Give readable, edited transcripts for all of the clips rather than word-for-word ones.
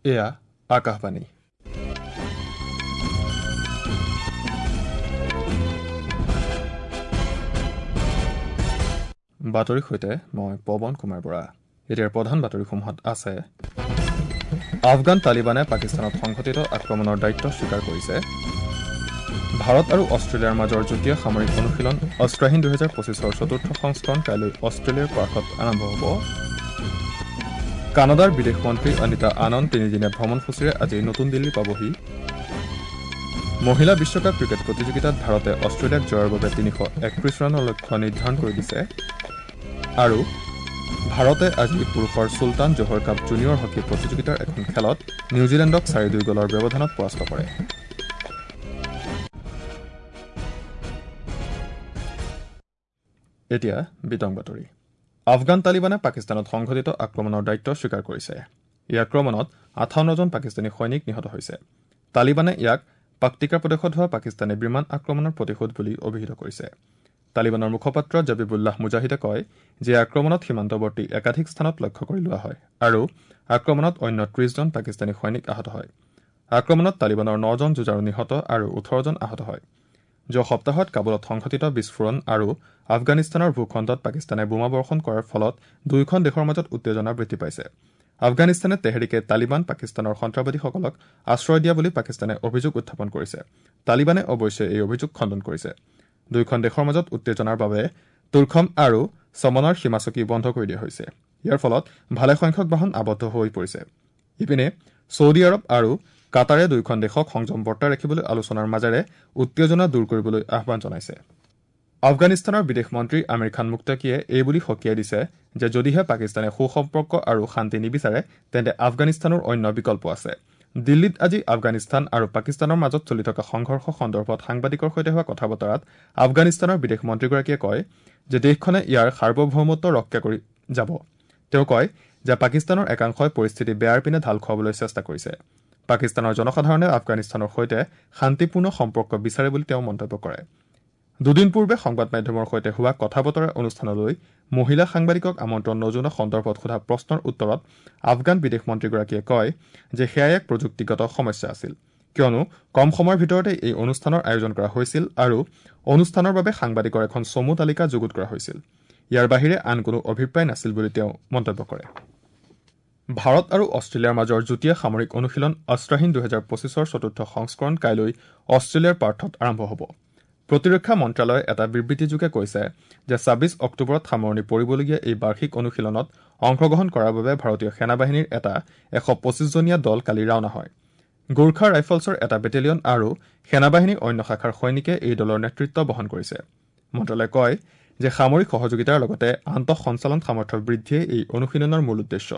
এয়া আকাশবাণী। বাতৰিৰ সৈতে মই পৱন কুমাৰ বৰা। এতিয়াৰ প্ৰধান বাতৰিসমূহত আছে: আফগান তালিবানে পাকিস্তানত সংঘটিত আক্ৰমণৰ দায়িত্ব স্বীকাৰ কৰিছে। ভাৰত আৰু অষ্ট্ৰেলিয়াৰ মাজৰ যুটীয়া সামৰিক অনুশীলন অস্ত্ৰাহীন 2025ৰ চতুৰ্থ সংস্কৰণ কাইলৈ অষ্ট্ৰেলিয়াৰ পাৰ্থত আৰম্ভ হ'ব। কানাডাৰ বিদেশ মন্ত্ৰী অনিতা আনন্দ তিনিদিনীয়া ভ্ৰমণসূচীৰে আজি নতুন দিল্লী পাবহি। মহিলা বিশ্বকাপ ক্ৰিকেট প্ৰতিযোগিতাত ভাৰতে অষ্ট্ৰেলিয়াক জয়ৰ বাবে 331 ৰানৰ লক্ষ্য নিৰ্ধাৰণ কৰি দিছে। আৰু ভাৰতে আজি পুৰুষৰ Sultan Johor cup junior hockey প্ৰতিযোগিতাৰ এখন খেলত নিউজিলেণ্ডক 4-2 গ'লৰ ব্যৱধানত পৰাস্ত কৰে। এতিয়া বিতং বাতৰি। আফগান তালিবানে পাকিস্তানত সংঘটিত আক্ৰমণৰ দায়িত্ব স্বীকাৰ কৰিছে। এই আক্ৰমণত 58জন পাকিস্তানী সৈনিক নিহত হৈছে। তালিবানে ইয়াক পাক্তিকা প্ৰদেশত হোৱা পাকিস্তানী বিমান আক্ৰমণৰ প্ৰতিশোধ বুলি অভিহিত কৰিছে। তালিবানৰ মুখপাত্ৰ জবিবুল্লাহ মুজাহিদে কয় যে আক্ৰমণত সীমান্তৱৰ্তী একাধিক স্থানত লক্ষ্য কৰি লোৱা হয় আৰু আক্ৰমণত অন্য 30জন পাকিস্তানী সৈনিক আহত হয়। আক্ৰমণত তালিবানৰ 9জন যুঁজাৰু নিহত আৰু 18জন আহত হয়। যোৱা সপ্তাহত কাবুলত সংঘটিত বিস্ফোৰণ আৰু আফগানিস্তানৰ ভূখণ্ডত পাকিস্তানে বোমাবৰ্ষণ কৰাৰ ফলত দুয়োখন দেশৰ মাজত উত্তেজনা বৃদ্ধি পাইছে। আফগানিস্তানে তেহৰিকে তালিবান পাকিস্তানৰ সন্ত্ৰাসবাদীসকলক আশ্ৰয় দিয়া বুলি পাকিস্তানে অভিযোগ উত্থাপন কৰিছে। তালিবানে অৱশ্যে এই অভিযোগ খণ্ডন কৰিছে। দুয়োখন দেশৰ মাজত উত্তেজনাৰ বাবে তুৰ্খম আৰু চমনৰ সীমাচকী বন্ধ কৰি দিয়া হৈছে। ইয়াৰ ফলত ভালেসংখ্যক বাহন আবদ্ধ হৈ পৰিছে। ইপিনে ছৌদি আৰৱ আৰু কাটাৰে দুয়োখন দেশক সংযম বৰ্তাই ৰাখিবলৈ আলোচনাৰ মাজেৰে উত্তেজনা দূৰ কৰিবলৈ আহ্বান জনাইছে। আফগানিস্তানৰ বিদেশ মন্ত্ৰী আমিৰ খান মুক্তাকিয়ে এই বুলি সকীয়াই দিছে যে যদিহে পাকিস্তানে সুসম্পৰ্ক আৰু শান্তি নিবিচাৰে তেন্তে আফগানিস্তানৰ অন্য বিকল্প আছে। দিল্লীত আজি আফগানিস্তান আৰু পাকিস্তানৰ মাজত চলি থকা সংঘৰ্ষ সন্দৰ্ভত সাংবাদিকৰ সৈতে হোৱা কথা বতৰাত আফগানিস্তানৰ বিদেশ মন্ত্ৰীগৰাকীয়ে কয় যে দেশখনে ইয়াৰ সাৰ্বভৌমত্ব ৰক্ষা কৰি যাব। তেওঁ কয় যে পাকিস্তানৰ একাংশই পৰিস্থিতি বেয়াৰ পিনে ঢাল খুৱাবলৈ চেষ্টা কৰিছে। পাকিস্তানৰ জনসাধাৰণে আফগানিস্তানৰ সৈতে শান্তিপূৰ্ণ সম্পৰ্ক বিচাৰে বুলি তেওঁ মন্তব্য কৰে। দুদিন পূৰ্বে সংবাদ মাধ্যমৰ সৈতে হোৱা কথা বতৰা অনুষ্ঠানলৈ মহিলা সাংবাদিকক আমন্ত্ৰণ নজনোৱা সন্দৰ্ভত সোধা প্ৰশ্নৰ উত্তৰত আফগান বিদেশ মন্ত্ৰীগৰাকীয়ে কয় যে সেয়া এক প্ৰযুক্তিগত সমস্যা আছিল, কিয়নো কম সময়ৰ ভিতৰতে এই অনুষ্ঠানৰ আয়োজন কৰা হৈছিল আৰু অনুষ্ঠানৰ বাবে সাংবাদিকৰ এখন চমু তালিকা যুগুত কৰা হৈছিল। ইয়াৰ বাহিৰে আন কোনো অভিপ্ৰায় নাছিল বুলি তেওঁ মন্তব্য কৰে। ভাৰত আৰু অষ্ট্ৰেলিয়াৰ মাজৰ যুটীয়া সামৰিক অনুশীলন অস্ত্ৰাহীন 2025ৰ চতুৰ্থ সংস্কৰণ কাইলৈ অষ্ট্ৰেলিয়াৰ পাৰ্থত আৰম্ভ হ'ব। প্ৰতিৰক্ষা মন্ত্ৰালয়ে এটা বিবৃতিযোগে কৈছে যে 26 অক্টোবৰত সামৰণি পৰিবলগীয়া এই বাৰ্ষিক অনুশীলনত অংশগ্ৰহণ কৰাৰ বাবে ভাৰতীয় সেনাবাহিনীৰ এটা 125জনীয়া দল কালি ৰাওনা হয়। গোৰ্খা ৰাইফলছৰ এটা বেটেলিয়ন আৰু সেনাবাহিনীৰ অন্য শাখাৰ সৈনিকে এই দলৰ নেতৃত্ব বহন কৰিছে। মন্ত্ৰালয়ে কয় যে সামৰিক সহযোগিতাৰ লগতে আন্তঃসঞ্চালন সামৰ্থ্য বৃদ্ধিয়ে এই অনুশীলনৰ মূল উদ্দেশ্য।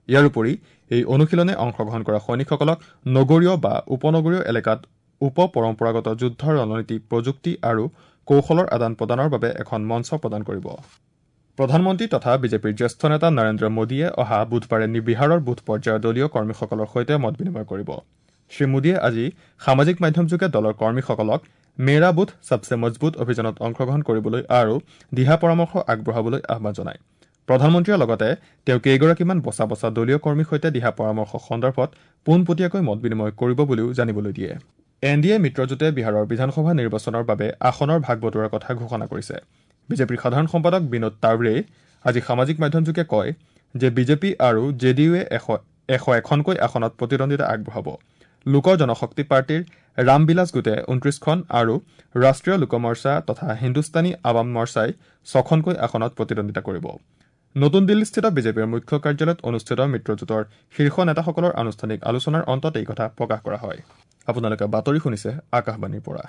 ইয়াৰ উপৰি এই অনুশীলনে অংশগ্ৰহণ কৰা সৈনিকসকলক নগৰীয় বা উপনগৰীয় এলেকাত উপ পৰম্পৰাগত যুদ্ধৰ ৰণনীতি, প্ৰযুক্তি আৰু কৌশলৰ আদান প্ৰদানৰ বাবে এখন মঞ্চ প্ৰদান কৰিব। প্ৰধানমন্ত্ৰী তথা বিজেপিৰ জ্যেষ্ঠ নেতা নৰেন্দ্ৰ মোদীয়ে অহা বুধবাৰে বিহাৰৰ বুথ পৰ্যায়ৰ দলীয় কৰ্মীসকলৰ সৈতে মত বিনিময় কৰিব। শ্ৰী মোদীয়ে আজি সামাজিক মাধ্যমযোগে দলৰ কৰ্মীসকলক মেৰা বুথ সবসে মজবুত অভিযানত অংশগ্ৰহণ কৰিবলৈ আৰু দিহা পৰামৰ্শ আগবঢ়াবলৈ আহ্বান জনায়। প্ৰধানমন্ত্ৰীয়ে লগতে তেওঁ কেইগৰাকীমান বচা বচা দলীয় কৰ্মীৰ সৈতে দিহা পৰামৰ্শ সন্দৰ্ভত পোনপটীয়াকৈ মত বিনিময় কৰিব বুলিও জানিবলৈ দিয়ে। এন ডি এ মিত্ৰজোঁটে বিহাৰৰ বিধানসভা নিৰ্বাচনৰ বাবে আসনৰ ভাগ বতৰাৰ কথা ঘোষণা কৰিছে। বিজেপিৰ সাধাৰণ সম্পাদক বিনোদ তাৱড়ে আজি সামাজিক মাধ্যমযোগে কয় যে বিজেপি আৰু জে ডি ইউৱে 101খনকৈ আসনত প্ৰতিদ্বন্দ্বিতা আগবঢ়াব। লোক জনশক্তি পাৰ্টীৰ ৰামবিলাস গোটে 29খন আৰু ৰাষ্ট্ৰীয় লোক মৰ্চা তথা হিন্দুস্তানী আৱাম মৰ্চাই 6খনকৈ আসনত প্ৰতিদ্বন্দ্বিতা কৰিব। নতুন দিল্লীস্থিত বিজেপিৰ মুখ্য কাৰ্যালয়ত অনুষ্ঠিত মিত্ৰজোঁটৰ শীৰ্ষ নেতাসকলৰ আনুষ্ঠানিক আলোচনাৰ অন্তত এই কথা প্ৰকাশ কৰা হয়। আপোনালোকে বাতৰি শুনিছে আকাশবাণীৰ পৰা।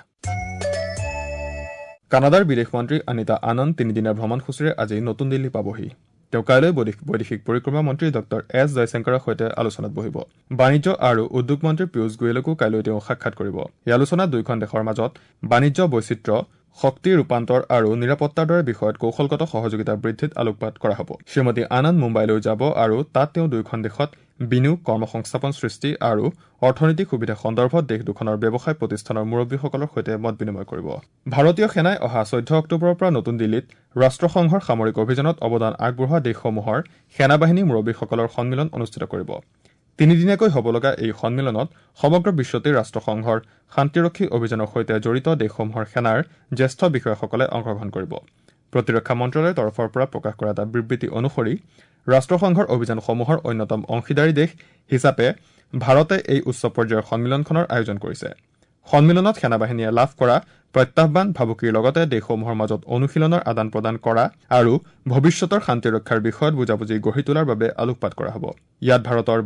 কানাডাৰ বিদেশ মন্ত্ৰী অনিতা আনন্দ তিনিদিনীয়া ভ্ৰমণসূচীৰে আজি নতুন দিল্লী পাবহি। তেওঁ কাইলৈ বৈদেশিক পৰিক্ৰমা মন্ত্ৰী ডঃ এছ জয়শংকৰৰ সৈতে আলোচনাত বহিব। বাণিজ্য আৰু উদ্যোগ মন্ত্ৰী পীয়ুষ গোৱেলকো কাইলৈ তেওঁ সাক্ষাৎ কৰিব। এই আলোচনাত দুয়োখন দেশৰ মাজত বাণিজ্য, বৈচিত্ৰ্য, শক্তি ৰূপান্তৰ আৰু নিৰাপত্তাৰ দৰে বিষয়ত কৌশলগত সহযোগিতা বৃদ্ধিত আলোকপাত কৰা হ'ব। শ্ৰীমতী আনন্দ মুম্বাইলৈ যাব আৰু তাত তেওঁ দুয়োখন দেশত বিনিয়োগ, কৰ্মসংস্থাপন সৃষ্টি আৰু অৰ্থনৈতিক সুবিধা সন্দৰ্ভত দেশ দুখনৰ ব্যৱসায় প্ৰতিষ্ঠানৰ মুৰব্বীসকলৰ সৈতে মত বিনিময় কৰিব। ভাৰতীয় সেনাই অহা 14 অক্টোবৰৰ পৰা নতুন দিল্লীত ৰাষ্ট্ৰসংঘৰ সামৰিক অভিযানত অৱদান আগবঢ়োৱা দেশসমূহৰ সেনাবাহিনী মুৰব্বীসকলৰ সন্মিলন অনুষ্ঠিত কৰিব। তিনিদিনীয়াকৈ হ'ব লগা এই সন্মিলনত সমগ্ৰ বিশ্বতে ৰাষ্ট্ৰসংঘৰ শান্তিৰক্ষী অভিযানৰ সৈতে জড়িত দেশসমূহৰ সেনাৰ জ্যেষ্ঠ বিষয়াসকলে অংশগ্ৰহণ কৰিব। প্ৰতিৰক্ষা মন্ত্ৰালয়ৰ তৰফৰ পৰা প্ৰকাশ কৰা এটা বিবৃতি অনুসৰি ৰাষ্ট্ৰসংঘৰ অভিযানসমূহৰ অন্যতম অংশীদাৰী দেশ হিচাপে ভাৰতে এই উচ্চ পৰ্যায়ৰ সন্মিলনখনৰ আয়োজন কৰিছে। সন্মিলনত সেনাবাহিনীয়ে লাভ কৰা প্ৰত্যাহ্বান, ভাবুকিৰ লগতে দেশসমূহৰ মাজত অনুশীলনৰ আদান প্ৰদান কৰা আৰু ভৱিষ্যতৰ শান্তিৰক্ষাৰ বিষয়ত বুজাবুজি গঢ়ি তোলাৰ বাবে আলোকপাত কৰা হ'ব। ইয়াত ভাৰতৰ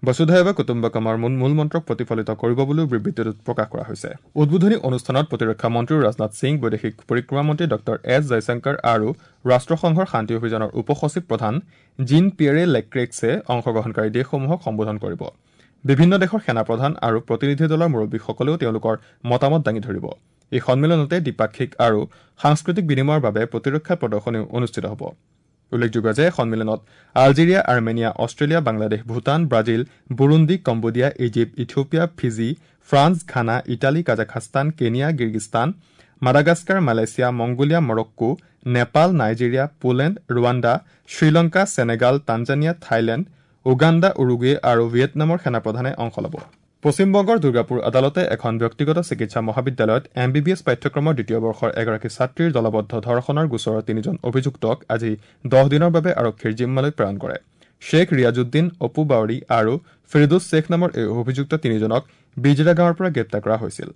বসুধৈৱ কুটুম্বকমৰ মূল মন্ত্ৰক প্ৰতিফলিত কৰিব বুলিও বিবৃতিটোত প্ৰকাশ কৰা হৈছে। উদ্বোধনী অনুষ্ঠানত প্ৰতিৰক্ষা মন্ত্ৰী ৰাজনাথ সিং, বৈদেশিক পৰিক্ৰমা মন্ত্ৰী ডঃ এছ জয়শংকৰ আৰু ৰাষ্ট্ৰসংঘৰ শান্তি অভিযানৰ উপ সচিব প্ৰধান জিন পিয়েৰে লেক্ৰেক্সে অংশগ্ৰহণকাৰী দেশসমূহক সম্বোধন কৰিব। বিভিন্ন দেশৰ সেনাপ্ৰধান আৰু প্ৰতিনিধি দলৰ মুৰব্বীসকলেও তেওঁলোকৰ মতামত দাঙি ধৰিব। এই সন্মিলনতে দ্বিপাক্ষিক আৰু সাংস্কৃতিক বিনিময়ৰ বাবে প্ৰতিৰক্ষা প্ৰদৰ্শনীও অনুষ্ঠিত হ'ব। উল্লেখযোগ্য যে সন্মিলনত Algeria, Armenia, Australia, Bangladesh, Bhutan, Brazil, Burundi, Cambodia, Egypt, Ethiopia, Fiji, France, Ghana, Italy, Kazakhstan, Kenya, Kyrgyzstan, Madagascar, Malaysia, Mongolia, Morocco, Nepal, Nigeria, Poland, Rwanda, Sri Lanka, Senegal, Tanzania, Thailand, Uganda, Uruguay আৰু ভিয়েটনামৰ সেনাপ্ৰধানে অংশ ল'ব। পশ্চিমবংগৰ দুৰ্গাপুৰ আদালতে এখন ব্যক্তিগত চিকিৎসা মহাবিদ্যালয়ত এম বি বি এছ পাঠ্যক্ৰমৰ দ্বিতীয় বৰ্ষৰ এগৰাকী ছাত্ৰীৰ দলবদ্ধ ধৰ্ষণৰ গোচৰৰ তিনিজন অভিযুক্তক আজি 10 দিনৰ বাবে আৰক্ষীৰ জিম্মালৈ প্ৰেৰণ কৰে। শ্বেখ ৰিয়াজুদ্দিন, অপু বাউৰী আৰু ফিৰদোজ শ্বেখ নামৰ এই অভিযুক্ত তিনিজনক বিজৰা গাঁৱৰ পৰা গ্ৰেপ্তাৰ কৰা হৈছিল।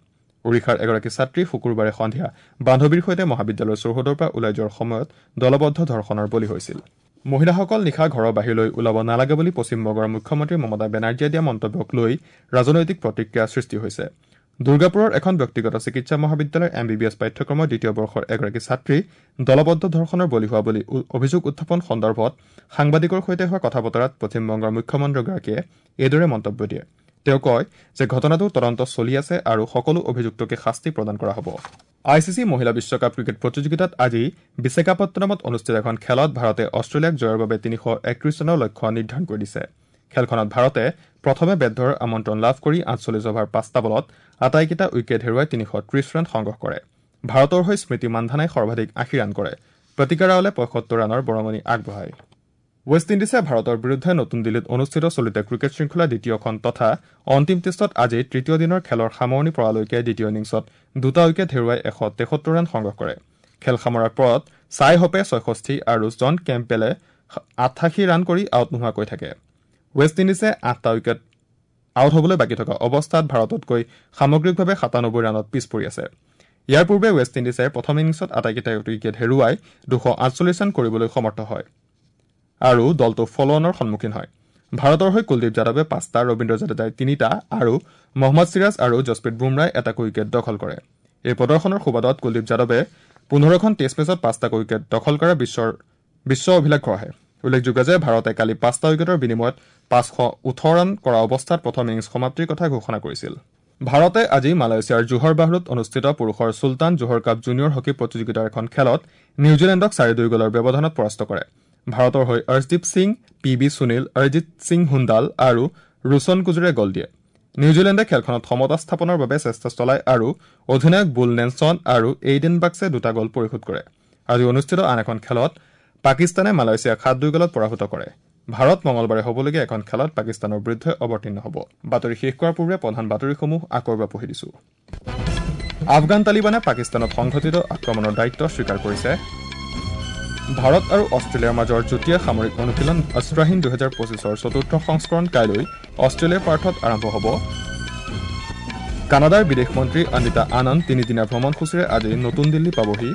ওড়িশাৰ এগৰাকী ছাত্ৰী শুকুৰবাৰে সন্ধিয়া বান্ধৱীৰ সৈতে মহাবিদ্যালয়ৰ চৌহদৰ পৰা ওলাই যোৱাৰ সময়ত দলবদ্ধ ধৰ্ষণৰ বলি হৈছিল। মহিলাসকল নিশা ঘৰৰ বাহিৰলৈ ওলাব নালাগে বুলি পশ্চিমবংগৰ মুখ্যমন্ত্ৰী মমতা বেনাৰ্জীয়ে দিয়া মন্তব্যক লৈ ৰাজনৈতিক প্ৰতিক্ৰিয়াৰ সৃষ্টি হৈছে। দুৰ্গাপুৰৰ এখন ব্যক্তিগত চিকিৎসা মহাবিদ্যালয়ৰ এম বি বি এছ পাঠ্যক্ৰমৰ দ্বিতীয় বৰ্ষৰ এগৰাকী ছাত্ৰী দলবদ্ধ ধৰ্ষণৰ বলি হোৱা বুলি অভিযোগ উত্থাপন সন্দৰ্ভত সাংবাদিকৰ সৈতে হোৱা কথা বতৰাত পশ্চিমবংগৰ মুখ্যমন্ত্ৰীগৰাকীয়ে এইদৰে মন্তব্য দিয়ে। তেওঁ কয় যে ঘটনাটোৰ তদন্ত চলি আছে আৰু সকলো অভিযুক্তকে শাস্তি প্ৰদান কৰা হ'ব। I C C মহিলা বিশ্বকাপ ক্ৰিকেট প্ৰতিযোগিতাত আজি বিশাখাপট্টনমত অনুষ্ঠিত এখন খেলত ভাৰতে অষ্ট্ৰেলিয়াক জয়ৰ বাবে 331 ৰানৰ লক্ষ্য নিৰ্ধাৰণ কৰি দিছে। খেলখনত ভাৰতে প্ৰথমে বেট ধৰাৰ আমন্ত্ৰণ লাভ কৰি 48 অভাৰ 5টা বলত আটাইকেইটা উইকেট হেৰুৱাই 330 ৰান সংগ্ৰহ কৰে। ভাৰতৰ হৈ স্মৃতি মান্ধানাই সৰ্বাধিক 80 ৰান কৰে। প্ৰতিকা ৰাওলে 75 ৰানৰ বৰঙণি আগবঢ়ায়। ৱেষ্ট ইণ্ডিজে ভাৰতৰ বিৰুদ্ধে নতুন দিল্লীত অনুষ্ঠিত চলিত ক্ৰিকেট শৃংখলাৰ দ্বিতীয়খন তথা অন্তিম টেষ্টত আজি তৃতীয় দিনৰ খেলৰ সামৰণি পৰালৈকে দ্বিতীয় ইনিংছত 2টা উইকেট হেৰুৱাই 173 ৰান সংগ্ৰহ কৰে। খেল সামৰাৰ পৰত ছাই হোপে 66 আৰু জন কেম্পবেলে 88 ৰান কৰি আউট নোহোৱাকৈ থাকে। ৱেষ্ট ইণ্ডিজে 8টা উইকেট আউট হ'বলৈ বাকী থকা অৱস্থাত ভাৰততকৈ সামগ্ৰিকভাৱে 97 ৰানত পিছ পৰি আছে। ইয়াৰ পূৰ্বে ৱেষ্ট ইণ্ডিজে প্ৰথম ইনিংছত আটাইকেইটা উইকেট হেৰুৱাই 248 ৰান কৰিবলৈ সমৰ্থ হয় আৰু দলটো ফলনৰ সন্মুখীন হয়। ভাৰতৰ হৈ কুলদীপ যাদৱে 5টা, ৰবীন্দ্ৰ জাদেজাই 3টা আৰু মহম্মদ চিৰাজ আৰু জছপ্ৰীত বুমৰাই এটাকৈ উইকেট দখল কৰে। এই প্ৰদৰ্শনৰ সুবাদত কুলদীপ যাদৱে 15খন টেষ্ট মেচত 5টাকৈ উইকেট দখল কৰা বিশ্ব অভিলেখ গঢ়ে। উল্লেখযোগ্য যে ভাৰতে কালি 5টা উইকেটৰ বিনিময়ত 518 ৰান কৰা অৱস্থাত প্ৰথম ইনিংছ সমাপ্তিৰ কথা ঘোষণা কৰিছিল। ভাৰতে আজি মালয়েছিয়াৰ জোহৰ বাহৰুত অনুষ্ঠিত পুৰুষৰ Sultan Johor cup junior hockey প্ৰতিযোগিতাৰ এখন খেলত নিউজিলেণ্ডক 4-2 গ'লৰ ব্যৱধানত পৰাস্ত কৰে। ভাৰতৰ হৈ অৰ্শদীপ সিং, পি বি সুনীল, অৰিজিত সিং হুণ্ডাল আৰু ৰোশন কুজুৰে গ'ল দিয়ে। নিউজিলেণ্ডে খেলখনত সমতা স্থাপনৰ বাবে চেষ্টা চলায় আৰু অধিনায়ক বুল নেলছন আৰু এইডেন বাক্সে 2টা গ'ল পৰিশোধ কৰে। আজি অনুষ্ঠিত আন এখন খেলত পাকিস্তানে মালয়েছিয়াক 7-2 গ'লত পৰাভূত কৰে। ভাৰত মঙলবাৰে হ'বলগীয়া এখন খেলত পাকিস্তানৰ বিৰুদ্ধে অৱতীৰ্ণ হ'ব। বাতৰি শেষ কৰাৰ পূৰ্বে প্ৰধান বাতৰিসমূহ আকৌ এবাৰ পঢ়ি দিছো। আফগান তালিবানে পাকিস্তানত সংঘটিত আক্ৰমণৰ দায়িত্ব স্বীকাৰ কৰিছে। ভাৰত আৰু অষ্ট্ৰেলিয়াৰ মাজৰ যুটীয়া সামৰিক অনুশীলন অস্ত্ৰহীন 2025ৰ চতুৰ্থ সংস্কৰণ কাইলৈ অষ্ট্ৰেলিয়াৰ পাৰ্থত আৰম্ভ হ'ব। কানাডাৰ বিদেশ মন্ত্ৰী অনিতা আনন্দ তিনিদিনীয়া ভ্ৰমণসূচীৰে আজি নতুন দিল্লী পাবহি।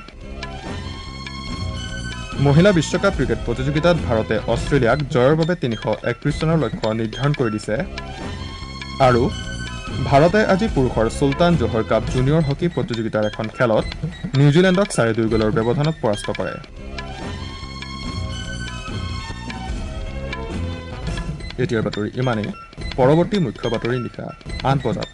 মহিলা বিশ্বকাপ ক্ৰিকেট প্ৰতিযোগিতাত ভাৰতে অষ্ট্ৰেলিয়াক জয়ৰ বাবে 331 ৰানৰ লক্ষ্য নিৰ্ধাৰণ কৰি দিছে। আৰু ভাৰতে আজি পুৰুষৰ Sultan Johor cup junior hockey প্ৰতিযোগিতাৰ এখন খেলত নিউজিলেণ্ডক 4-2 গ'লৰ ব্যৱধানত পৰাস্ত কৰে। এতিয়াৰ বাতৰি ইমানেই। পৰৱৰ্তী মুখ্য বাতৰি নিশা 8 বজাত।